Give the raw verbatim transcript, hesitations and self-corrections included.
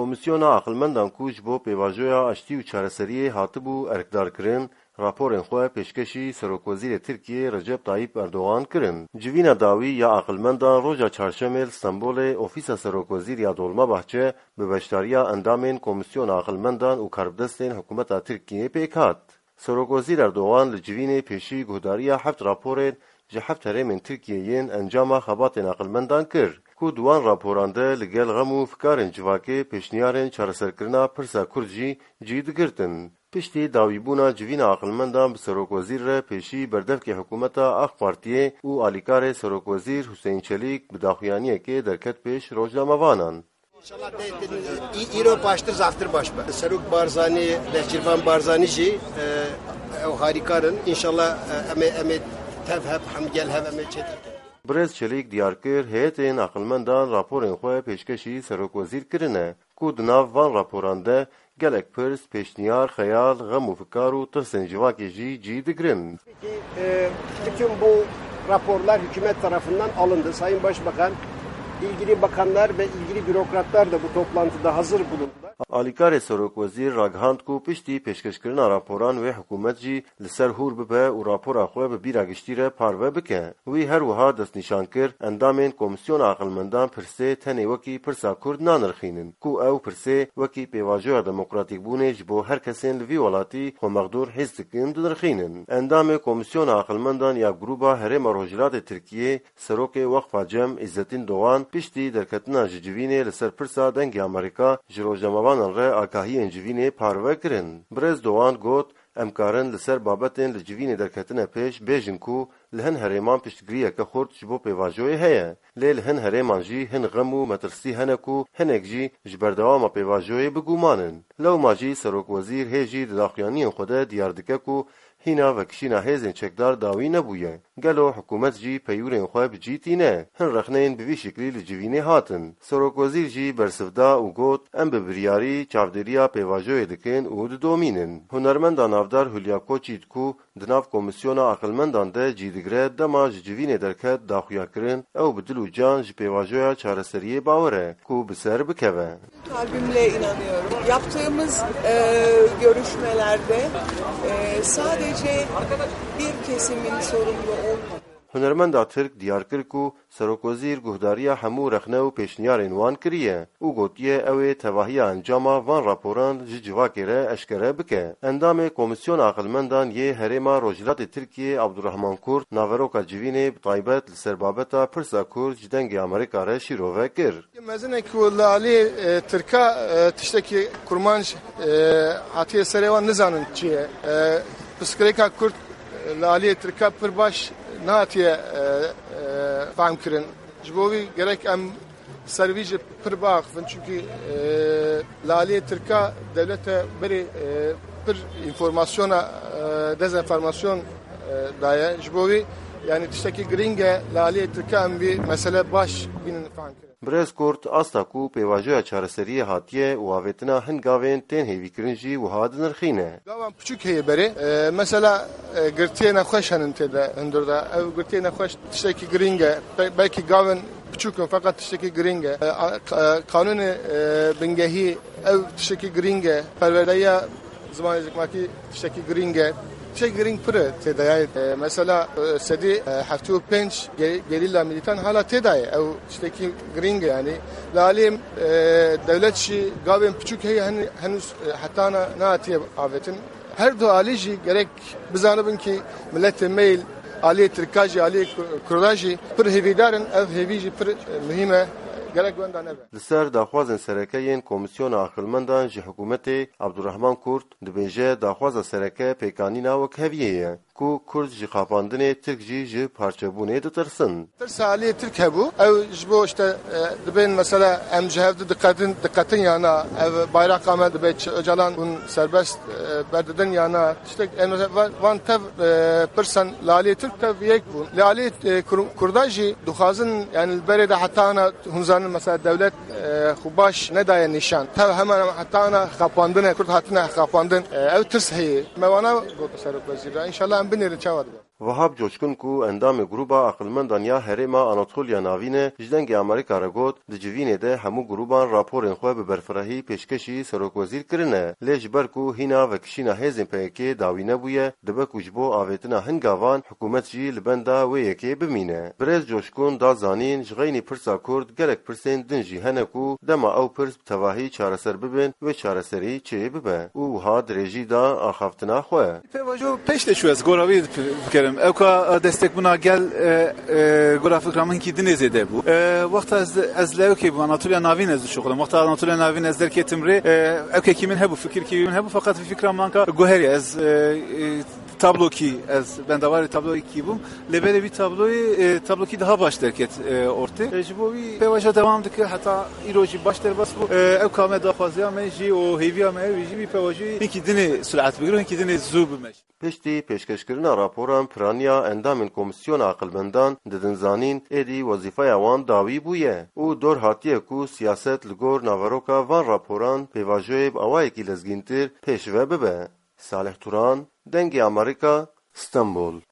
Komîsyona aqilmendan ku ji bo pêvajoya aştî û çareseriyê hatibû erkdarkirin, raporên xwe pêşkêşî Serokwezîrê Tirkiyê Recep Tayyip Erdogan kirin. Civîna dawî ya aqilmendan roja çarşemê li Stenbolê ofîsa Serokwezîr ya Dolmabahçe bi beşdariya endamên Komîsyona Aqilmendan û karbidestên hikûmeta Tirkiyê pêk hat. Serokwezîr Erdogan li civînê pêşî guhdariya heft raporên ji heft herêmên Tirkiyê yên encama xebatên aqilmendan kir, ku di wan raporan de li gel xem û fikarên civakê pêşniyarên çareserkirina pirsa Kurd jî cî digirtin. Piştî dawîbûna civîna aqilmendan bi Serokwezîr re pêşî berdevkê hikûmeta AK Partiyê û alîkarê Serokwezîr Huseyîn Çelîk bi daxuyaniyekê derket pêş rojnamevanan. İnşallah de, de, î-, îro baştir zaftir baş be. Serok Barzanî, Nêçîrvan Barzanî jî, e, ew harîkar in. Înşallah, e, em ê, em ê tev hev, hemgel hev em ê çêtir kin. Birêz Çelîk diyar kir, heyetên aqilmendan raporên xwe pêşkêşî Serokwezîr kirine, ku di nav van raporan de gelek pirs, pêşniyar, xeyal, xem û fikar û tirsên civakê jî cî digirin. Peki, e, bütün bu raporlar hükümet tarafından alındı. Sayın Başbakan, ilgili bakanlar ve ilgili bürokratlar da bu toplantıda hazır bulundular. Alîkarê Serokwezîr ragihand ku piştî pêşkêşkirina raporan wê hikûmet jî li ser hûr bibe û rapora xwe bi bîra giştî re parve bike. Wî her wiha destnîşan kir, endamên Komîsyona Aqilmendan pirsê tenê wekî pirsa Kurd nanirxînin, ku ew pirsê wekî pêvajoya demokratîkbûnê ji bo her kesên li vî welatî xwe mexdûr hîs dikin, dinirxînin. Endamê Komîsyona Aqilmendan ya Grûba Herêma Rojhilatê Tirkiyê, Serokê Weqfa Cem Îzzetîn Doğan, piştî derketina ji civînê li ser pirsa Dengê Amerîka ji rojnamevanan re agahiyên civînê parve kirin. Birêz Doğan got, Em karin li ser babetên li civînê derketine pêş bêjin ku li hin herêman piştgiriyeke xurt ji bo pêvajoyê heye. Lê li hin herêman jî hin xem û metirsî hene ku hinek jî ji berdewama pêvajoyê bi guman in. Lewma jî Serokwezîr hê jî di daxuyaniyên xwe de diyar dike ku hîna vekişîna hêzên çekdar dawî nebûye. Gelo hikûmet jî peyûrên xwe bi cî tîne? Hin rexneyên bi vî şiklî li civînê hatin. Serokwezîr jî bersiv da û got, Em bi biryarî çavdêriya pêvajoyê dikin û didomînin. Hunermenda navdar Hülya Koçyiğit ku di nav Komîsyona Aqilmendan de cî digire, dema ji civînê derket da xuyakirin, ew bi dil û can ji pêvajoya çareseriyê bawer e ku bi ser bikeve. Kalbimle inanıyorum. Yaptığımız, e, görüşmelerde, e, sadece bir kesimin sorumlu olmadığı. Hunermenda Tirk diyar kir ku Serokwezîr guhdariya hemû rexne û pêşniyarên wan kiriye û gotiye ew ê tevahiya encama van raporan ji civakê re eşkere bike. Endamê Komîsyona Aqilmendan yê Herêma Rojhilatê Tirkiyê Abdurrahman Kurt naveroka civînê bi taybet li ser babeta pirsa Kurd ji Dengê Amerîka re şîrove kir. Mezin e ku li alî, e, Tirka, e, tiştekî kurmanc, e, hatiye serê wan nizanin çi ye. E, pirsgirêka Kurd, e, li alî Tirka pir baş nehatiye, e, e, fehm kirin. Ji bo vî gerek em ser vî jî pir biaxifin. Çunkî, e, li alî Tirka dewlete berê, e, pir înformasyona, e, dezenformasyon, e, daye. Ji bo vî, yanî tiştekî girîng e li alî Tirka em vî mesele baş bînin fehm kirin. Birêz Kurt asta ku pêvajoya çareseriyê hatiye û avêtina hin gavên tên hêvîkirin jî wiha dinirxîne. Gavan piçûk heye berê. E, mesela, e, girtiyê nexweş henin tê de hundir de. Ev girtiyê nexweş tiştekî girîng e. Be-, belkî gavên piçûk in, feqet tiştekî girîng e. E, a-, ka-, kanûnê, e, bingehî ew tiştekî girîng e. Perwerdeya zimanê zikmakî tiştekî girîng e. Tiştekî girîng pir e tê de, yanî, e, mesela, e, sedî, e, heftê û pênc ge-, gerîla milîtan hala tê de ye. Ew tiştekî girîng e, yanî. Li alî, e, dewlet jî gavên piçûk heye, hen-, henûz, e, heta na-, nehatiye avêtin. Her du alî jî gerek bizanibin ku miletê me yê aliyê Tirka jî, aliyê Kur-, Kurda jî pir hêvîdar in. Ev hêvî jî pir, e, muhîm e. Gerek wenda nebe. Li ser daxwazên sereke yên Komîsyona Aqilmendan ji hikûmetê, Abdurrahman Kurt dibêje, daxwaza sereke pêkanîna wekheviyê ye, ku Kurd ji xapandinê, Tirk jî ji parçebûnê ditirsin. Tirsa aliyê Tirk hebû. Ew ji bo, işte, e, dibên mesela em ji hev du diqetin, diqetin ya na, ev bayraqa me dibe çi, Ocalan hûn serbest, e, berdidin ya na. Tiştek, em, va-, van tev, e, pirsan li aliyê Tirk tev yek bûn. Li aliyê, e, Kur-, Kurda jî dixwazin, yani li berê de heta ana hûn zanin mesela dewlet, e, xwe baş nedaye nîşan. Tev hemen hemen heta ana xapandin e, Kurd hatine xapandin. E, ew tirs heye. Me wana got Serokwezîr re. Înşallah em binêrin çawa dibe. Wahab Coşkun ku endamê Grûba Aqilmendan ya Herêma Anatoliya Navîn e, ji Dengê Amerîka re got, di civînê de hemû grûban raporên xwe bi berfirehî pêşkêşî Serokwezîr kirine. Lê ji ber ku hîna vekişîna hêzên P Y K dawî nebûye, dibe ku ji bo avêtina hin gavan hikûmet jî li benda wê yekê bimîne. Birêz Coşkun da zanîn, ji xeynî pirsa Kurd gelek pirsên din jî hene ku dema ew pirs bi tevahî çareser bibin, wê çareserî çê bibe û wiha dirêjî da axaftina xwe. Pêvajo pêş de çû, ez gora wî dip-, bikerim. Ewka, e, destekbûna gel, e, e, gora fikra min hinkî dinê zêde bû. E, wexta ez, ez li ewkê bûm, Anatoliya Navîn ez dişuxulim. Wexta Anatoliya Navîn ez derketim rê, e, ewkekî min hebû, fikirkî min hebû, feqet vî fikra min anka guherî ez, e, e, tablokî, ez bendawarê tablokî bûm. Lê berê vî tabloyê, e, tablokî daha baş derket, e, ortê. E, ji bo wî pêvajo dewam dike, heta îro jî baş derbas bû. E, ewka me daxwaziya me jî û hêviya me ew jî vî pêvajoyê hinkî dinê surat bigire, hinkî dinê zû bime. Piştî pêşkêşkirina raporan piraniya endamên Komîsyona Aqilmendan didin zanîn, êdî wezîfeya wan dawî bûye û dor hatiye ku siyaset li gor naveroka van raporan pêvajoyê bi awayekî lezgîntir pêşve bibe. Salih Turan, Dengê Amerîka, Stenbol.